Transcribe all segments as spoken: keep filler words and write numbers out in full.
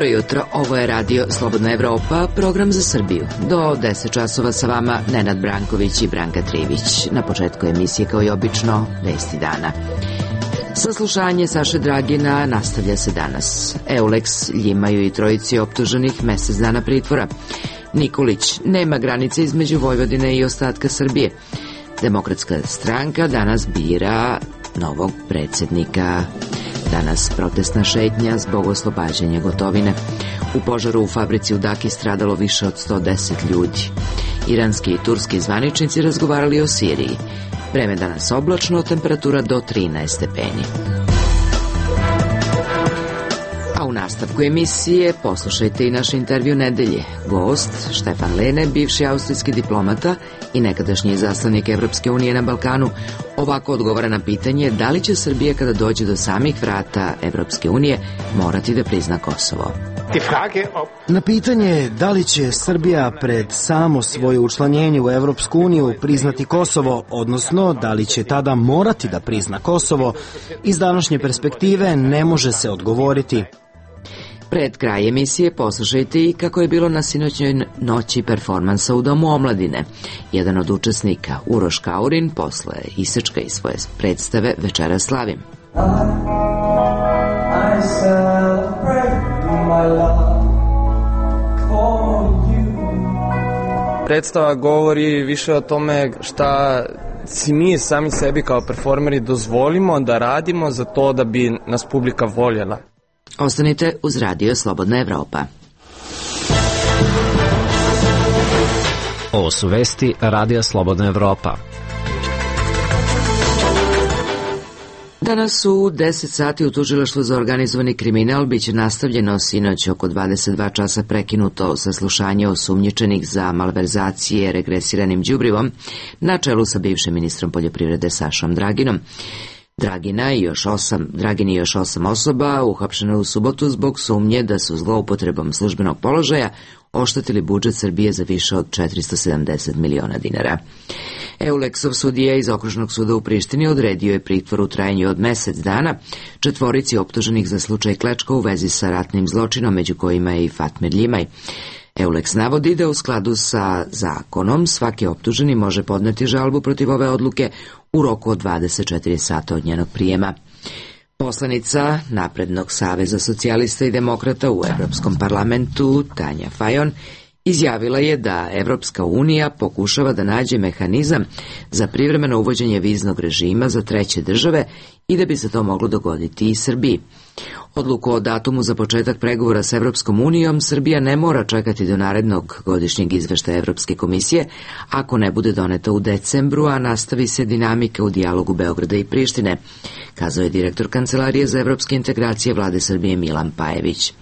Dobro jutro, ovo je radio Slobodna Evropa, program za Srbiju. Do deset časova sa vama Nenad Branković i Branka Trivić. Na početku emisije, kao i obično, vesti dana. Saslušanje Saše Dragina nastavlja se danas. Euleks ljimaju i trojici optuženih mesec dana pritvora. Nikolić, nema granice između Vojvodine i ostatka Srbije. Demokratska stranka danas bira novog predsjednika. Danas protestna šetnja zbog oslobađanja Gotovine. U požaru u fabrici u Daki stradalo više od sto deset ljudi. Iranski i turski zvaničnici razgovarali o Siriji. Vreme danas oblačno, temperatura do trinaest stepeni. A u nastavku emisije poslušajte i naš intervju nedelje. Gost, Štefan Lene, bivši austrijski diplomata i nekadašnji izaslanik Evropske unije na Balkanu, ovako odgovara na pitanje da li će Srbija kada dođe do samih vrata Evropske unije morati da prizna Kosovo. Na pitanje da li će Srbija pred samo svoje učlanjenje u Evropsku uniju priznati Kosovo, odnosno da li će tada morati da prizna Kosovo, iz današnje perspektive ne može se odgovoriti. Pred kraj emisije poslušajte i kako je bilo na sinoćnjoj noći performansa u Domu omladine. Jedan od učesnika, Uroš Kaurin, posle isečka iz svoje predstave Večera slavim. I celebrate my love for you. Predstava govori više o tome šta si mi sami sebi kao performeri dozvolimo da radimo za to da bi nas publika voljela. Ostanite uz radio Slobodna Evropa. Ovo su vesti Radija Slobodna Evropa. Danas u deset sati u tužilaštvu za organizovani kriminal biće nastavljeno sinoć oko dvadeset dva časa prekinuto saslušanje osumnjičenih za malverzacije regresiranim đubrivom na čelu sa bivšim ministrom poljoprivrede Sašom Draginom. Dragina i još osam, Dragin i još osam osoba uhapšeno u subotu zbog sumnje da su zloupotrebom službenog položaja oštetili budžet Srbije za više od četiristo sedamdeset miliona dinara. Euleksov sudija iz Okružnog suda u Prištini odredio je pritvor u trajanju od mesec dana četvorici optuženih za slučaj Klečka u vezi sa ratnim zločinom, među kojima je i Fatmir Ljimaj. Euleks navodi da u skladu sa zakonom svaki optuženi može podneti žalbu protiv ove odluke u roku od dvadeset četiri sata od njenog prijema. Poslanica Naprednog saveza socijalista i demokrata u Evropskom parlamentu, Tanja Fajon, izjavila je da Evropska unija pokušava da nađe mehanizam za privremeno uvođenje viznog režima za treće države i da bi se to moglo dogoditi i Srbiji. Odluku o datumu za početak pregovora s Evropskom unijom Srbija ne mora čekati do narednog godišnjeg izveštaja Evropske komisije ako ne bude doneta u decembru, a nastavi se dinamika u dijalogu Beograda i Prištine, kazao je direktor Kancelarije za evropske integracije Vlade Srbije Milan Pajević.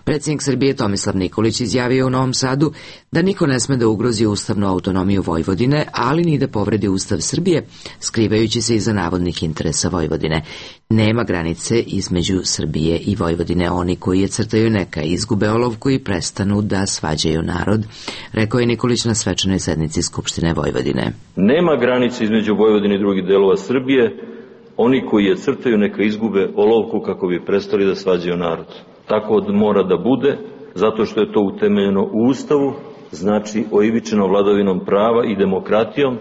Predsjednik Srbije Tomislav Nikolić izjavio u Novom Sadu da niko ne sme da ugrozi ustavnu autonomiju Vojvodine, ali ni da povredi Ustav Srbije, skrivajući se iza navodnih interesa Vojvodine. Nema granice između Srbije i Vojvodine. Oni koji je crtaju neka izgube olovku i prestanu da svađaju narod, rekao je Nikolić na svečanoj sednici Skupštine Vojvodine. Nema granice između Vojvodine i drugih delova Srbije. Oni koji je crtaju neka izgube olovku kako bi prestali da svađaju narod. Tako mora da bude, zato što je to utemeljeno u Ustavu, znači oivičeno vladavinom prava i demokratijom.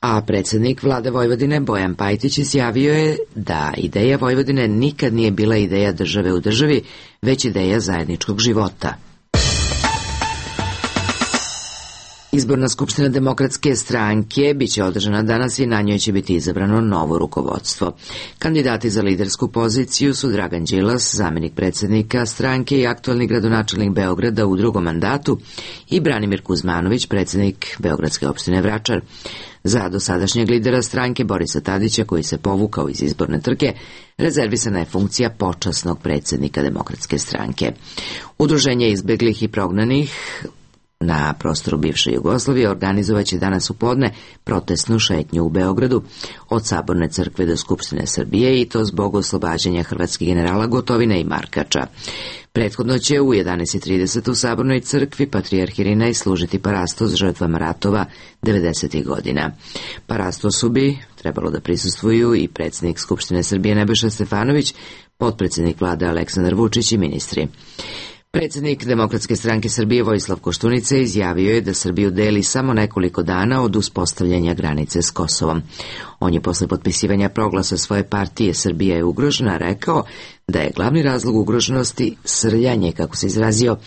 A predsjednik Vlade Vojvodine Bojan Pajtić izjavio je da ideja Vojvodine nikad nije bila ideja države u državi, već ideja zajedničkog života. Izborna skupština Demokratske stranke biće održana danas i na njoj će biti izabrano novo rukovodstvo. Kandidati za lidersku poziciju su Dragan Đilas, zamjenik predsjednika stranke i aktualni gradonačelnik Beograda u drugom mandatu, i Branimir Kuzmanović, predsjednik Beogradske opštine Vračar. Za dosadašnjeg lidera stranke Borisa Tadića, koji se povukao iz izborne trke, rezervisana je funkcija počasnog predsjednika Demokratske stranke. Udruženje izbeglih i prognanih na prostoru bivše Jugoslavije organizovaće danas u podne protestnu šetnju u Beogradu od Saborne crkve do Skupštine Srbije, i to zbog oslobađanja hrvatskih generala Gotovine i Markača. Prethodno će u jedanaest trideset u Sabornoj crkvi Patrijarh Irinej služiti parastos žrtvama ratova devedesetih godina. Parastosu bi trebalo da prisustvuju i predsjednik Skupštine Srbije Nebojša Stefanović, potpredsjednik vlade Aleksandar Vučić i ministri. Predsjednik Demokratske stranke Srbije Vojislav Koštunica izjavio je da Srbiju deli samo nekoliko dana od uspostavljanja granice s Kosovom. On je posle potpisivanja proglasa svoje partije Srbija je ugrožena rekao da je glavni razlog ugroženosti srljanje, kako se izrazio,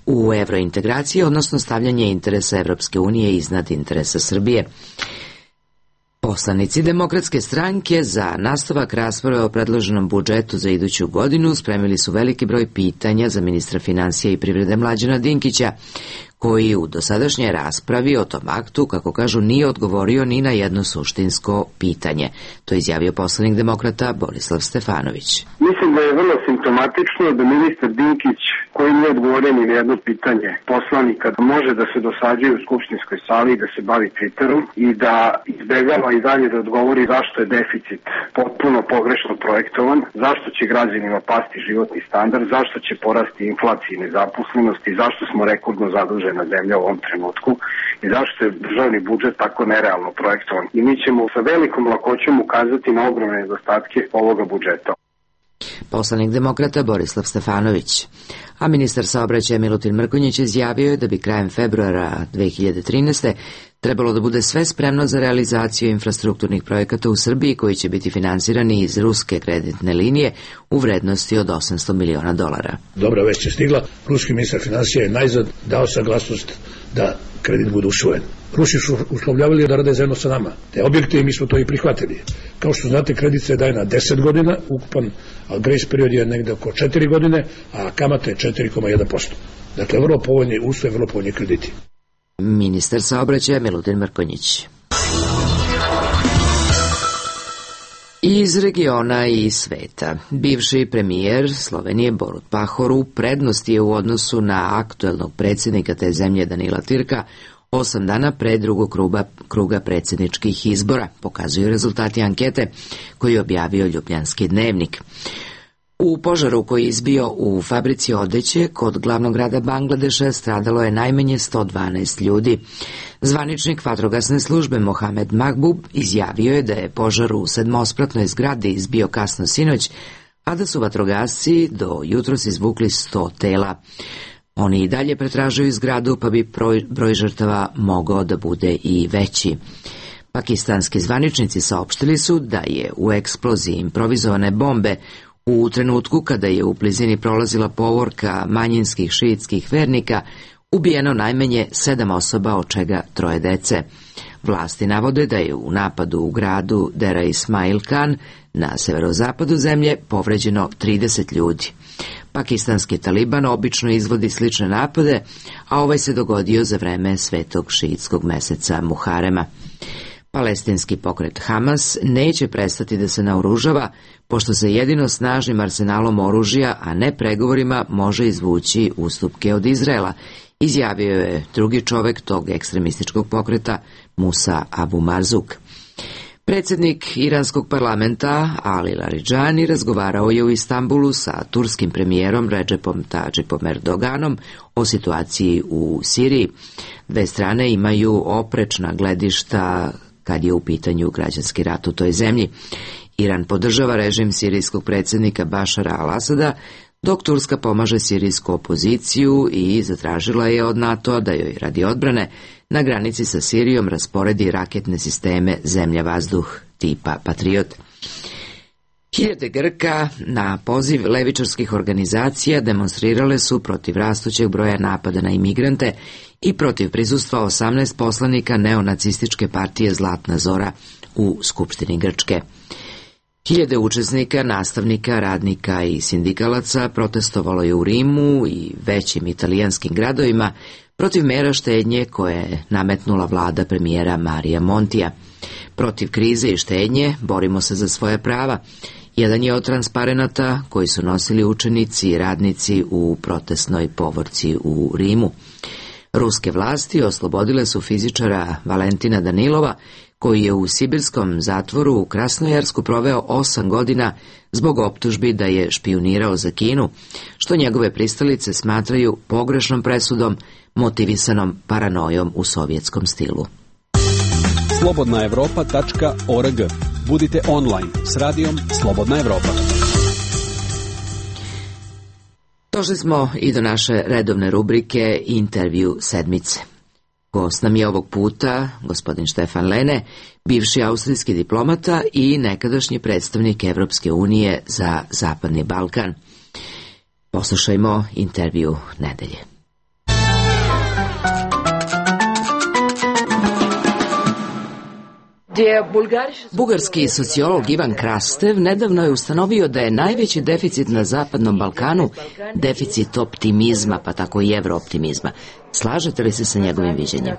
u evrointegraciji, odnosno stavljanje interesa Evropske unije iznad interesa Srbije. Poslanici Demokratske stranke za nastavak rasprave o predloženom budžetu za iduću godinu spremili su veliki broj pitanja za ministra finansija i privrede Mlađana Dinkića, koji u dosadašnjoj raspravi o tom aktu, kako kažu, nije odgovorio ni na jedno suštinsko pitanje. To je izjavio poslanik Demokrata Borislav Stefanović. Mislim da je vrlo simptomatično da ministar Dinkić, koji nije odgovorio ni na jedno pitanje poslanika, da može da se dosađuje u skupštinskoj sali i da se bavi Twitterom i da izbegava i dalje da odgovori zašto je deficit potpuno pogrešno projektovan, zašto će građanima pasti životni standard, zašto će porasti inflacija i nezaposlenost i zašto smo rekordno zadužena zemlja u ovom trenutku i zašto je državni budžet tako nerealno projektovan. I mi ćemo sa velikom lakoćom ukazati na ogromne nedostatke ovoga budžeta. Poslanik Demokrata Borislav Stefanović. A ministar saobraćaja Milutin Mrkonjić izjavio je da bi krajem februara dve hiljade trinaeste. trebalo da bude sve spremno za realizaciju infrastrukturnih projekata u Srbiji koji će biti finansirani iz ruske kreditne linije u vrednosti od osamsto miliona dolara. Dobra vest je stigla. Ruski ministar finansija je najzad dao saglasnost da kredit bude usvojen. Rusi su uslovljavali da rade zajedno sa nama te objekte i mi smo to i prihvatili. Kao što znate, kredit se daje na deset godina, ukupan, a grace period je negde oko četiri godine, a kamata je četiri zarez jedan posto. Dakle, vrlo povoljni uslovi, vrlo povoljni krediti. Ministar saobraćaja Milutin Mrkonjić. Iz regiona i sveta. Bivši premijer Slovenije Borut Pahor u prednosti je u odnosu na aktuelnog predsjednika te zemlje Danila Türka osam dana pre drugog kruga, kruga predsjedničkih izbora, pokazuju rezultati ankete koji je objavio Ljubljanski dnevnik. U požaru koji je izbio u fabrici odeće kod glavnog grada Bangladeša stradalo je najmanje sto dvanaest ljudi. Zvaničnik vatrogasne službe Mohamed Mahbub izjavio je da je požar u sedmospratnoj zgradi izbio kasno sinoć, a da su vatrogasci do jutros izvukli sto tela. Oni i dalje pretražuju zgradu, pa bi broj, broj žrtava mogao da bude i veći. Pakistanski zvaničnici saopštili su da je u eksploziji improvizovane bombe u trenutku kada je u blizini prolazila povorka manjinskih šiitskih vernika ubijeno najmanje sedam osoba, od čega troje dece. Vlasti navode da je u napadu u gradu Dera Ismail Khan na severozapadu zemlje povređeno trideset ljudi. Pakistanski Taliban obično izvodi slične napade, a ovaj se dogodio za vreme svetog šiitskog meseca Muharema. Palestinski pokret Hamas neće prestati da se naoružava, pošto se jedino snažnim arsenalom oružja, a ne pregovorima, može izvući ustupke od Izraela, izjavio je drugi čovek tog ekstremističkog pokreta, Musa Abu Marzuk. Predsjednik iranskog parlamenta Ali Laridžani razgovarao je u Istanbulu sa turskim premijerom Recepom Tayyipom Erdoganom o situaciji u Siriji. Dve strane imaju oprečna gledišta kad je u pitanju građanski rat u toj zemlji. Iran podržava režim sirijskog predsjednika Bašara al-Asada, dok Turska pomaže sirijsku opoziciju i zatražila je od NATO-a da joj radi odbrane na granici sa Sirijom rasporedi raketne sisteme zemlja-vazduh tipa Patriot. Hiljade Grka na poziv levičarskih organizacija demonstrirale su protiv rastućeg broja napada na imigrante i protiv prisustva osamnaest poslanika neonacističke partije Zlatna Zora u Skupštini Grčke. Hiljade učesnika, nastavnika, radnika i sindikalaca protestovalo je u Rimu i većim italijanskim gradovima protiv mera štednje koje je nametnula vlada premijera Marija Montija. Protiv krize i štednje borimo se za svoje prava. Jedan je od transparenata koji su nosili učenici i radnici u protestnoj povorci u Rimu. Ruske vlasti oslobodile su fizičara Valentina Danilova, koji je u sibirskom zatvoru u Krasnojarsku proveo osam godina zbog optužbi da je špijunirao za Kinu, što njegove pristalice smatraju pogrešnom presudom motivisanom paranojom u sovjetskom stilu. slobodna evropa. org. Budite online s radijom Slobodna Evropa. Došli smo i do naše redovne rubrike Intervju sedmice. Gost nam je ovog puta gospodin Štefan Lene, bivši austrijski diplomata i nekadašnji predstavnik Evropske unije za Zapadni Balkan. Poslušajmo intervju nedelje. Bugarski sociolog Ivan Krastev nedavno je ustanovio da je najveći deficit na Zapadnom Balkanu deficit optimizma, pa tako i evrooptimizma. Slažete li se sa njegovim viđenjem?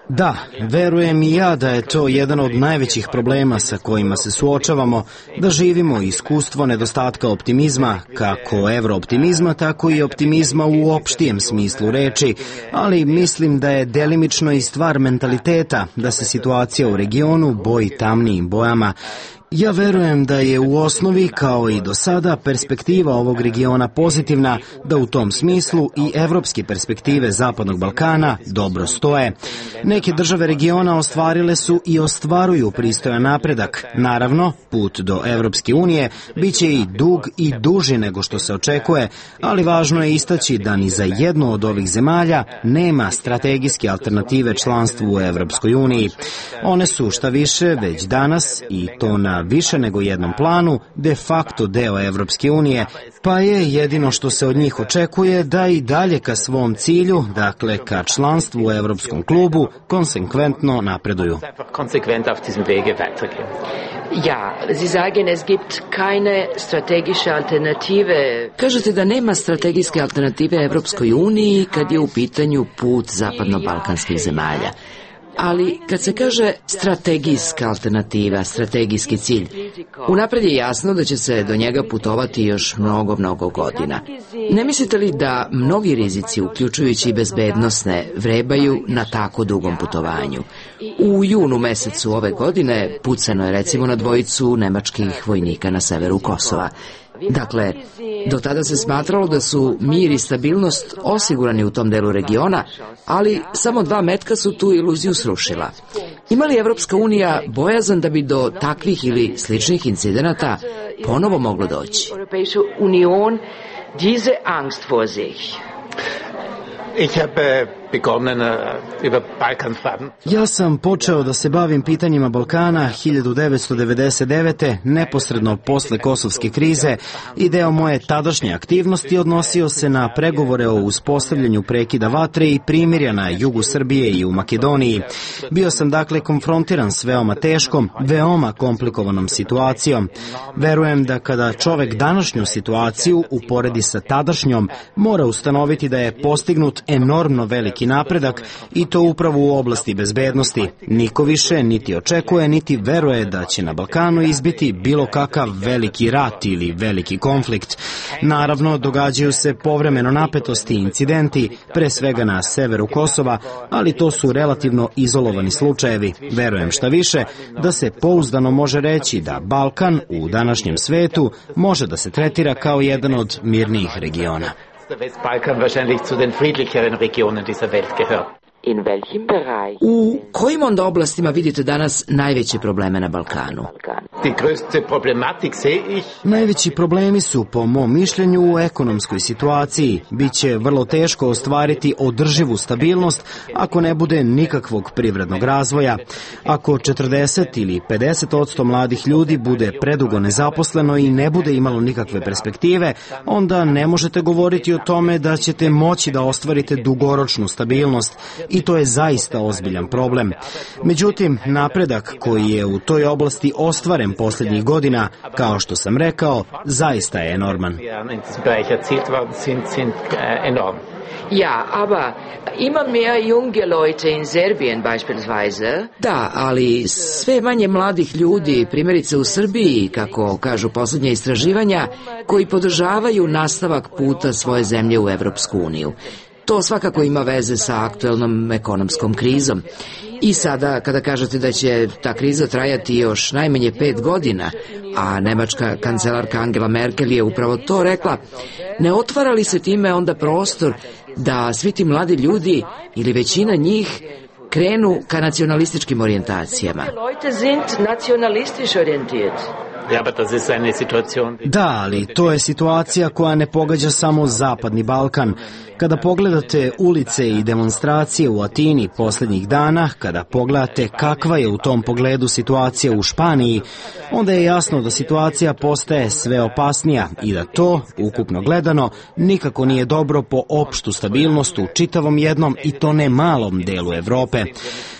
Da, verujem i ja da je to jedan od najvećih problema sa kojima se suočavamo, da živimo iskustvo nedostatka optimizma, kako evrooptimizma, tako i optimizma u opštijem smislu reči, ali mislim da je delimično i stvar mentaliteta, da se situacija u regionu boji tamnijim bojama. Ja verujem da je u osnovi, kao i do sada, perspektiva ovog regiona pozitivna, da u tom smislu i evropske perspektive Zapadnog Balkana dobro stoje. Neke države regiona ostvarile su i ostvaruju pristojan napredak. Naravno, put do Evropske unije biće i dug i duži nego što se očekuje, ali važno je istaći da ni za jednu od ovih zemalja nema strategijske alternative članstvu u Evropskoj uniji. One su šta više već danas, i to na više nego jednom planu, de facto deo Evropske unije, pa je jedino što se od njih očekuje da i dalje ka svom cilju, dakle ka članstvu u Evropskom klubu, konsekventno napreduju. Ja, Sie sagen, es gibt keine strategische Alternative. Kažete da nema strategijske alternative Evropskoj uniji kad je u pitanju put zapadno-balkanskih zemalja. Ali kad se kaže strategijska alternativa, strategijski cilj, unapred je jasno da će se do njega putovati još mnogo, mnogo godina. Ne mislite li da mnogi rizici, uključujući i bezbednosne, vrebaju na tako dugom putovanju? U junu mesecu ove godine pucano je recimo na dvojicu nemačkih vojnika na severu Kosova. Dakle, do tada se smatralo da su mir i stabilnost osigurani u tom delu regiona, ali samo dva metka su tu iluziju srušila. Ima li Evropska unija bojazan da bi do takvih ili sličnih incidenata ponovo moglo doći? Ja sam počeo da se bavim pitanjima Balkana hiljadu devetsto devedeset devete. neposredno posle kosovske krize, i deo moje tadašnje aktivnosti odnosio se na pregovore o uspostavljanju prekida vatre i primirja na jugu Srbije i u Makedoniji. Bio sam dakle konfrontiran s veoma teškom, veoma komplikovanom situacijom. Verujem da kada čovek današnju situaciju uporedi sa tadašnjom, mora ustanoviti da je postignut enormno veliki napredak, i to upravo u oblasti bezbednosti. Niko više niti očekuje, niti veruje da će na Balkanu izbiti bilo kakav veliki rat ili veliki konflikt. Naravno, događaju se povremeno napetosti i incidenti, pre svega na severu Kosova, ali to su relativno izolovani slučajevi. Verujem šta više da se pouzdano može reći da Balkan u današnjem svetu može da se tretira kao jedan od mirnijih regiona. U kojim onda oblastima vidite danas najveće probleme na Balkanu? Najveći problemi su, po mom mišljenju, u ekonomskoj situaciji. Biće vrlo teško ostvariti održivu stabilnost ako ne bude nikakvog privrednog razvoja. Ako četrdeset ili pedeset odsto mladih ljudi bude predugo nezaposleno i ne bude imalo nikakve perspektive, onda ne možete govoriti o tome da ćete moći da ostvarite dugoročnu stabilnost, i to je zaista ozbiljan problem. Međutim, napredak koji je u toj oblasti ostvaren posljednjih godina, kao što sam rekao, zaista je enorman. Ja, aber immer mehr junge Leute in Serbien beispielsweise. Da, ali sve manje mladih ljudi, primjerice u Srbiji, kako kažu posljednja istraživanja, koji podržavaju nastavak puta svoje zemlje u Evropsku uniju. To svakako ima veze sa aktuelnom ekonomskom krizom. I sada, kada kažete da će ta kriza trajati još najmanje pet godina, a nemačka kancelarka Angela Merkel je upravo to rekla, ne otvara li se time onda prostor da svi ti mladi ljudi, ili većina njih, krenu ka nacionalističkim orijentacijama? Da, ali to je situacija koja ne pogađa samo Zapadni Balkan. Kada pogledate ulice i demonstracije u Atini posljednjih dana, kada pogledate kakva je u tom pogledu situacija u Španiji, onda je jasno da situacija postaje sve opasnija i da to, ukupno gledano, nikako nije dobro po opštu stabilnost u čitavom jednom i to ne malom delu Evrope.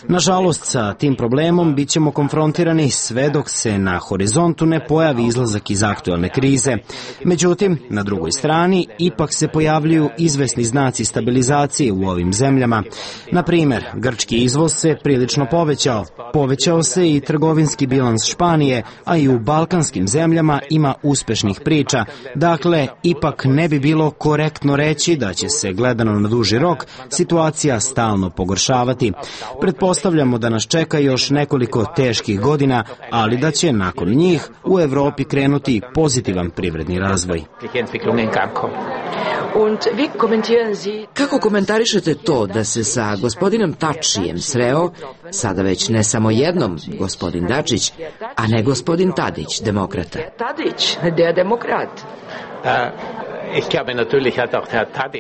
Nažalost, sa tim problemom bit ćemo konfrontirani sve dok se na horizontu ne pojavi izlazak iz aktuelne krize. Međutim, na drugoj strani, ipak se pojavljuju izvesni znaci stabilizacije u ovim zemljama. Na primjer, grčki izvoz se prilično povećao. Povećao se i trgovinski bilans Španije, a i u balkanskim zemljama ima uspešnih priča. Dakle, ipak ne bi bilo korektno reći da će se, gledano na duži rok, situacija stalno pogoršavati. Pretpostavljamo da nas čeka još nekoliko teških godina, ali da će nakon njih u Evropi krenuti pozitivan privredni razvoj. Kako komentarišete to da se sa gospodinom Tačijem sreo, sada već ne samo jednom gospodin Dačić, a ne gospodin Tadić, demokrata? Tadić, der demokrat.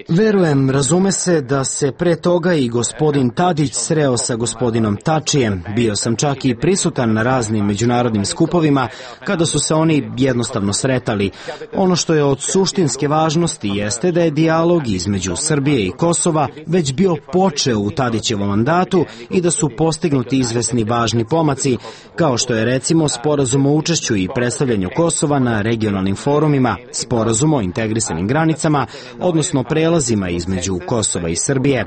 Verujem, razume se da se pre toga i gospodin Tadić sreo sa gospodinom Tačijem. Bio sam čak i prisutan na raznim međunarodnim skupovima kada su se oni jednostavno sretali. Ono što je od suštinske važnosti jeste da je dijalog između Srbije i Kosova već bio počeo u Tadićevom mandatu i da su postignuti izvesni važni pomaci, kao što je recimo sporazum o učešću i predstavljanju Kosova na regionalnim forumima, sporazum o integrisanim granicama, odnosno prelazima između Kosova i Srbije.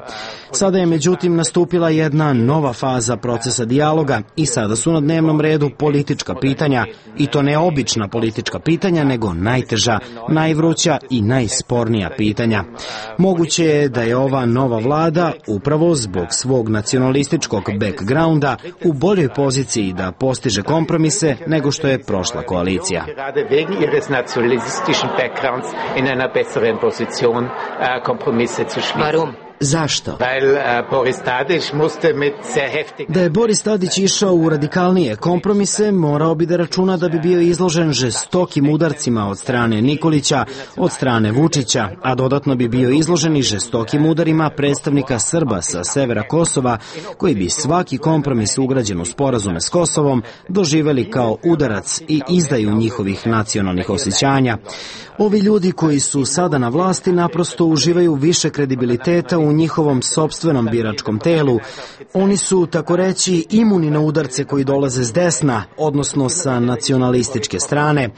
Sada je međutim nastupila jedna nova faza procesa dijaloga i sada su na dnevnom redu politička pitanja, i to ne obična politička pitanja, nego najteža, najvruća i najspornija pitanja. Moguće je da je ova nova vlada, upravo zbog svog nacionalističkog backgrounda, u boljoj poziciji da postiže kompromise nego što je prošla koalicija. Warum? Zašto? Da je Boris Tadić išao u radikalnije kompromise, morao bi da računa da bi bio izložen žestokim udarcima od strane Nikolića, od strane Vučića, a dodatno bi bio izložen i žestokim udarima predstavnika Srba sa severa Kosova, koji bi svaki kompromis ugrađen u sporazume s Kosovom doživeli kao udarac i izdaju njihovih nacionalnih osjećanja. Ovi ljudi koji su sada na vlasti naprosto uživaju više kredibiliteta u njihovom sopstvenom biračkom telu. Oni su, tako reći, imuni na udarce koji dolaze s desna, odnosno sa nacionalističke strane.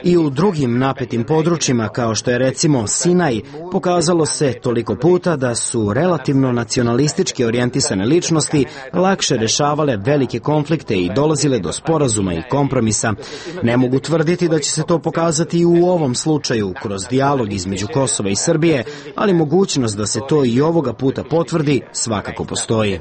I u drugim napetim područjima, kao što je recimo Sinaj, pokazalo se toliko puta da su relativno nacionalistički orijentisane ličnosti lakše rešavale velike konflikte i dolazile do sporazuma i kompromisa. Ne mogu tvrditi da će se to pokazati i u ovom slučaju kroz dijalog između Kosova i Srbije, ali mogućnost da se to i ovoga puta potvrdi svakako postoji.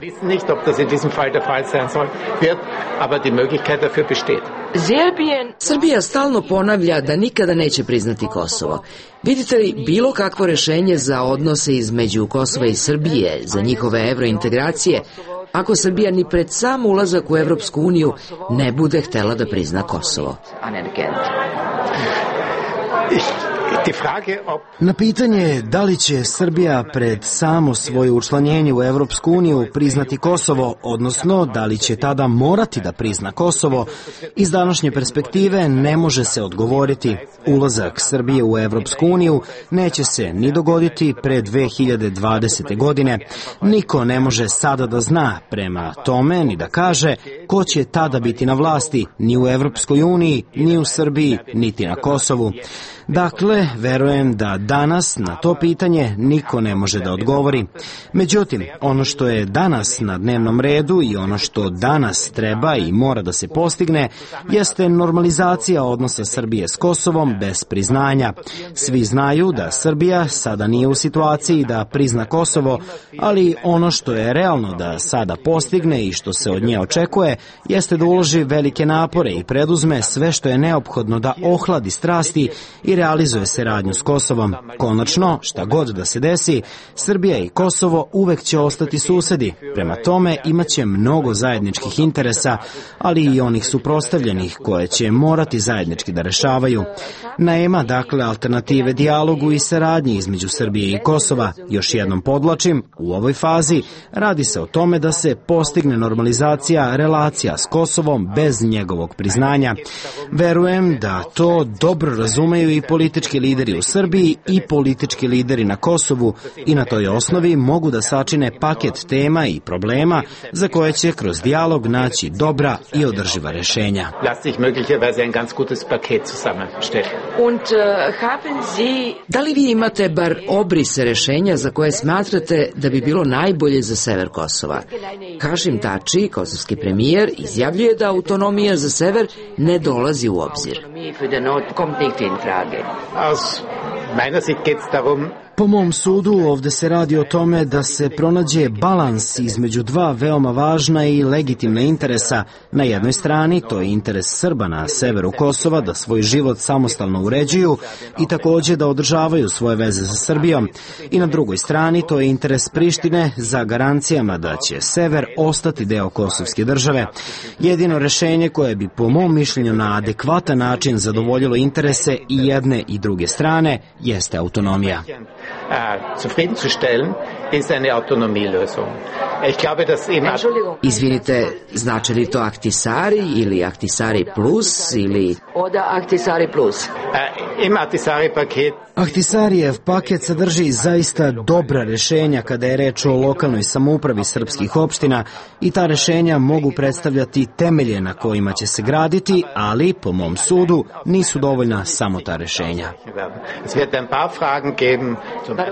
Srbija stalno ponavlja da nikada neće priznati Kosovo. Vidite li bilo kakvo rešenje za odnose između Kosova i Srbije, za njihove evrointegracije, ako Srbija ni pred sam ulazak u Evropsku uniju ne bude htela da prizna Kosovo? Na pitanje da li će Srbija pred samo svoje učlanjenje u Evropsku uniju priznati Kosovo, odnosno da li će tada morati da prizna Kosovo, iz današnje perspektive ne može se odgovoriti. Ulazak Srbije u Evropsku uniju neće se ni dogoditi pre dve hiljade dvadesete. godine. Niko ne može sada da zna prema tome ni da kaže ko će tada biti na vlasti, ni u Evropskoj uniji, ni u Srbiji, niti na Kosovu. Dakle, verujem da danas na to pitanje niko ne može da odgovori. Međutim, ono što je danas na dnevnom redu i ono što danas treba i mora da se postigne jeste normalizacija odnosa Srbije s Kosovom bez priznanja. Svi znaju da Srbija sada nije u situaciji da prizna Kosovo, ali ono što je realno da sada postigne i što se od nje očekuje jeste da uloži velike napore i preduzme sve što je neophodno da ohladi strasti i realizuje nastavljaju saradnju s Kosovom. Konačno, šta god da se desi, Srbija i Kosovo uvek će ostati susedi. Prema tome, imaće mnogo zajedničkih interesa, ali i onih suprotstavljenih koje će morati zajednički da rešavaju. Nema, dakle, alternative dijalogu i saradnji između Srbije i Kosova. Još jednom podlačim, u ovoj fazi radi se o tome da se postigne normalizacija relacija s Kosovom bez njegovog priznanja. Verujem da to dobro razumeju i politički lideri u Srbiji i politički lideri na Kosovu i na toj osnovi mogu da sačine paket tema i problema za koje će kroz dijalog naći dobra i održiva rešenja. Da li vi imate bar obrise rešenja za koje smatrate da bi bilo najbolje za sever Kosova? Hašim Tači, kosovski premijer, izjavljuje da autonomija za sever ne dolazi u obzir. Po mom sudu, ovde se radi o tome da se pronađe balans između dva veoma važna i legitimna interesa. Na jednoj strani, to je interes Srba na severu Kosova da svoj život samostalno uređuju i takođe da održavaju svoje veze sa Srbijom. I na drugoj strani, to je interes Prištine za garancijama da će sever ostati deo kosovske države. Jedino rešenje koje bi po mom mišljenju na adekvatan način zadovoljilo interese i jedne i druge strane jeste autonomija. Zufriedenzustellen ist eine Autonomielösung. Ich glaube, dass eben... Izvinite, znači li to Ahtisari ili Ahtisari plus ili... Oder Ahtisari plus. Im Ahtisari paket... Ahtisarijev paket sadrži zaista dobra rešenja kada je reč o lokalnoj samoupravi srpskih opština i ta rešenja mogu predstavljati temelje na kojima će se graditi, ali, po mom sudu, nisu dovoljna samo ta rešenja.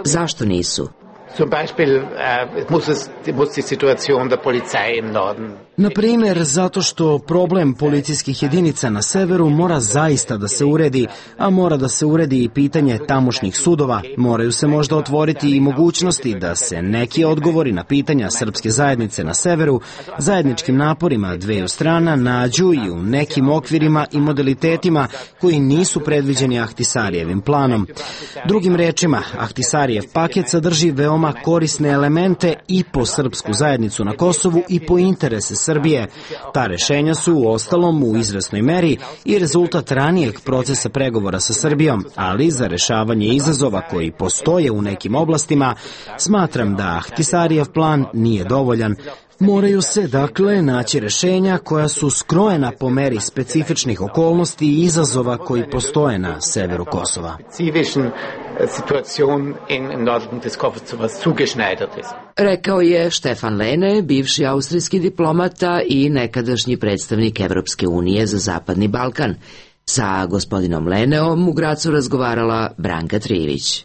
Zašto nisu? Zum Beispiel äh, muss es muss die Situation der Polizei im Norden. Na primjer, zato što problem policijskih jedinica na severu mora zaista da se uredi, a mora da se uredi i pitanje tamošnjih sudova. Moraju se možda otvoriti i mogućnosti da se neki odgovori na pitanja srpske zajednice na severu zajedničkim naporima dveju strana nađu i u nekim okvirima i modalitetima koji nisu predviđeni Ahtisarijevim planom. Drugim rečima, Ahtisarijev paket sadrži veoma korisne elemente i po srpsku zajednicu na Kosovu i po interese Srbije. Ta rešenja su u ostalom u izvesnoj meri i rezultat ranijeg procesa pregovora sa Srbijom, ali za rešavanje izazova koji postoje u nekim oblastima, smatram da Ahtisarijev plan nije dovoljan. Moraju se, dakle, naći rešenja koja su skrojena po meri specifičnih okolnosti i izazova koji postoje na severu Kosova. Rekao je Štefan Lene, bivši austrijski diplomata i nekadašnji predstavnik Evropske unije za Zapadni Balkan. Sa gospodinom Leneom u Gracu razgovarala Branka Trivić.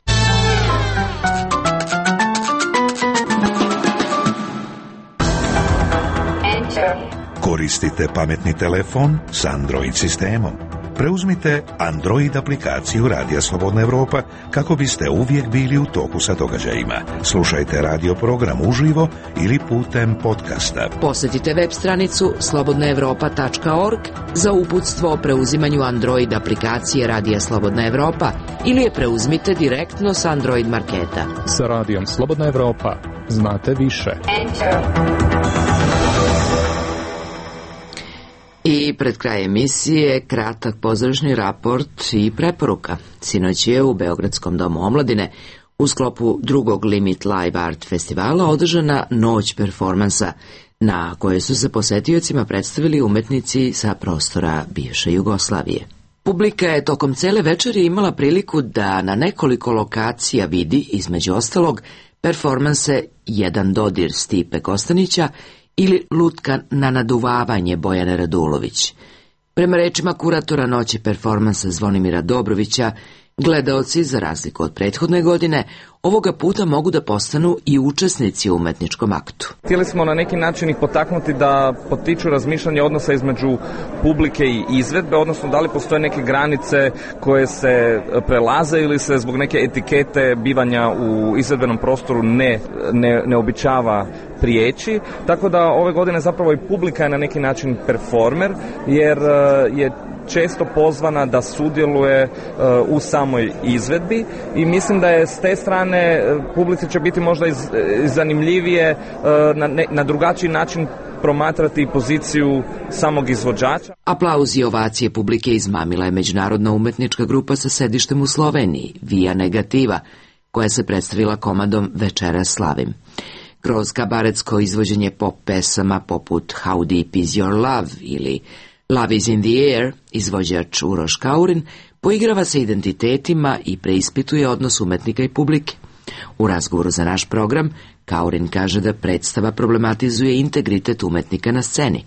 Koristite pametni telefon s Android sistemom. Preuzmite Android aplikaciju Radija Slobodna Evropa kako biste uvijek bili u toku sa događajima. Slušajte radio program uživo ili putem podcasta. Posjetite web stranicu slobodna evropa tačka org za uputstvo o preuzimanju Android aplikacije Radija Slobodna Evropa ili je preuzmite direktno s Android marketa. Sa Radijom Slobodna Evropa znate više. I pred kraj emisije kratak pozorišni raport i preporuka. Sinoć je u Beogradskom domu omladine u sklopu drugog Limit Live Art festivala održana noć performansa na kojoj su se posetiocima predstavili umetnici sa prostora bivše Jugoslavije. Publika je tokom cele večeri imala priliku da na nekoliko lokacija vidi, između ostalog, performanse Jedan dodir Stipe Kostanića ili Lutka na naduvavanje Bojane Radulović. Prema rečima kuratora noći performansa Zvonimira Dobrovića, gledaoci, za razliku od prethodne godine, ovoga puta mogu da postanu i učesnici u umetničkom aktu. Htjeli smo na neki način ih potaknuti da potiču razmišljanje odnosa između publike i izvedbe, odnosno da li postoje neke granice koje se prelaze ili se zbog neke etikete bivanja u izvedbenom prostoru ne, ne, ne običava prijeći. Tako da ove godine zapravo i publika je na neki način performer, jer je često pozvana da sudjeluje u samoj izvedbi i mislim da je s te strane publici će biti možda iz, zanimljivije na, ne, na drugačiji način promatrati poziciju samog izvođača. Aplauz i ovacije publike izmamila je međunarodna umetnička grupa sa sedištem u Sloveniji, Via Negativa, koja se predstavila komadom Večeras slavim. Kroz kabaretsko izvođenje pop pesama poput How Deep Is Your Love ili Love Is In The Air, izvođač Uroš Kaurin poigrava se identitetima i preispituje odnos umetnika i publike. U razgovoru za naš program, Kaurin kaže da predstava problematizuje integritet umetnika na sceni.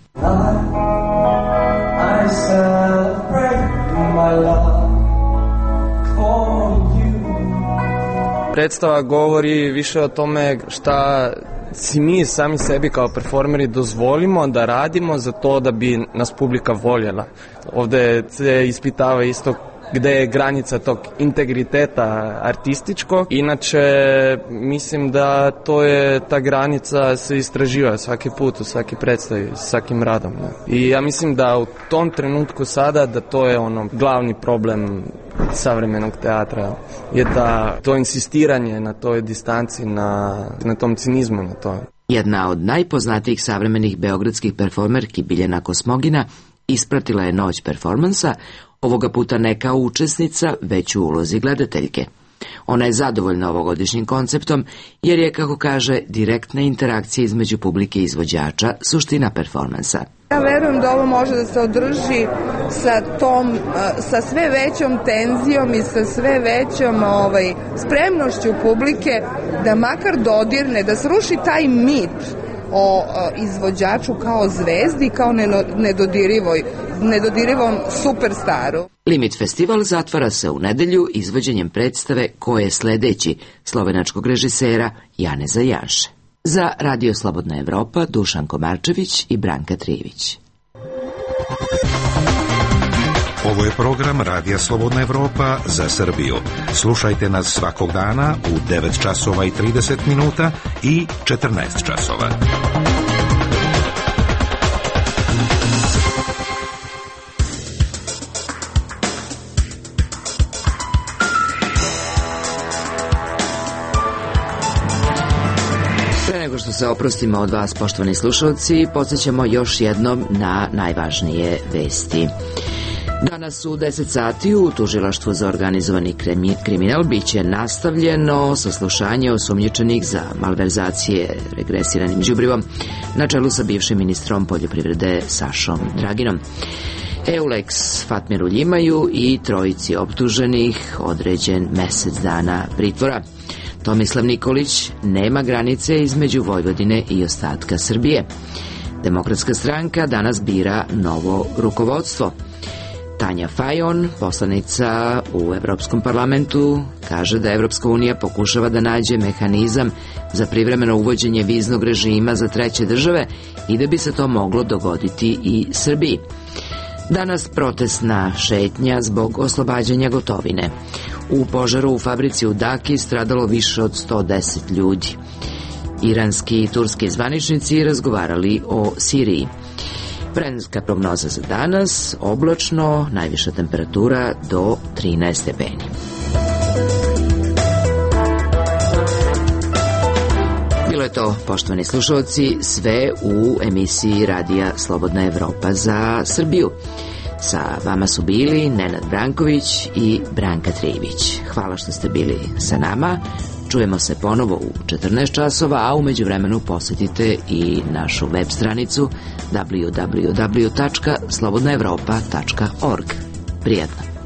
Predstava govori više o tome šta si mi sami sebi kao performeri dozvolimo da radimo za to da bi nas publika voljela. Ovde se ispitava isto gde je granica tog integriteta artističkog. Inače, mislim da to je, ta granica se istraživa svaki put, u svaki predstavi, svakim radom. Ne? I ja mislim da u tom trenutku sada, da to je ono glavni problem savremenog teatra, je da to insistiranje na toj distanci, na, na tom cinizmu, na to. Jedna od najpoznatijih savremenih beogradskih performerki Biljana Kosmogina ispratila je noć performansa, ovoga puta ne kao učesnica, već u ulozi gledateljke. Ona je zadovoljna ovogodišnjim konceptom, jer je, kako kaže, direktna interakcija između publike i izvođača suština performansa. Ja verujem da ovo može da se održi sa tom, sa sve većom tenzijom i sa sve većom ovaj, spremnošću publike da makar dodirne, da sruši taj mit o izvođaču kao zvezdi, kao nedodirivoj, nedodirivom superstaru. Limit festival zatvara se u nedelju izvođenjem predstave Ko je sledeći slovenačkog režisera Janeza Janše. Za Radio Slobodna Evropa Dušan Komarčević i Branka Trijević. Ovo je program Radija Slobodna Evropa za Srbiju. Slušajte nas svakog dana u devet časova i trideset minuta i četrnaest časova. Pre nego što se oprostimo od vas, poštovani slušalci, podsjećamo još jednom na najvažnije vesti. Danas u deset sati u Tužilaštvu za organizovani kriminal biće nastavljeno saslušanje osumnjičenih za malverzacije regresiranim đubrivom na čelu sa bivšim ministrom poljoprivrede Sašom Draginom. Eulex Fatmiru Ljimaju i trojici optuženih određen mesec dana pritvora. Tomislav Nikolić nema granice između Vojvodine i ostatka Srbije. Demokratska stranka danas bira novo rukovodstvo. Tanja Fajon, poslanica u Evropskom parlamentu, kaže da Evropska unija pokušava da nađe mehanizam za privremeno uvođenje viznog režima za treće države i da bi se to moglo dogoditi i Srbiji. Danas protestna šetnja zbog oslobađanja gotovine. U požaru u fabrici u Daki stradalo više od sto deset ljudi. Iranski i turski zvaničnici razgovarali o Siriji. Vremenska prognoza za danas, oblačno, najviša temperatura do trinaest stepeni. Bilo je to, poštovani slušalci, sve u emisiji Radija Slobodna Evropa za Srbiju. Sa vama su bili Nenad Branković i Branka Trijević. Hvala što ste bili sa nama. Čujemo se ponovo u četrnaest časova, a u međuvremenu posjetite i našu web stranicu w w w tačka slobodna evropa tačka org. Prijatno.